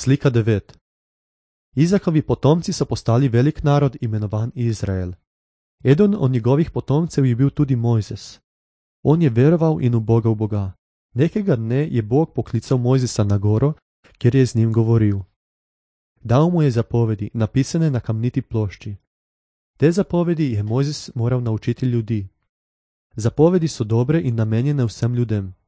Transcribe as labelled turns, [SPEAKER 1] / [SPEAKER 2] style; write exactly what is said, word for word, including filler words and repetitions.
[SPEAKER 1] Slika devet. Izakovi potomci so postali velik narod, imenovan Izrael. Eden od njegovih potomcev je bil tudi Mojzes. On je veroval in ubogal Boga. Nekega dne je Bog poklical Mojzesa na goro, kjer je z njim govoril. Dal mu je zapovedi, napisane na kamniti plošči. Te zapovedi je Mojzes moral naučiti ljudi. Zapovedi so dobre in namenjene vsem ljudem.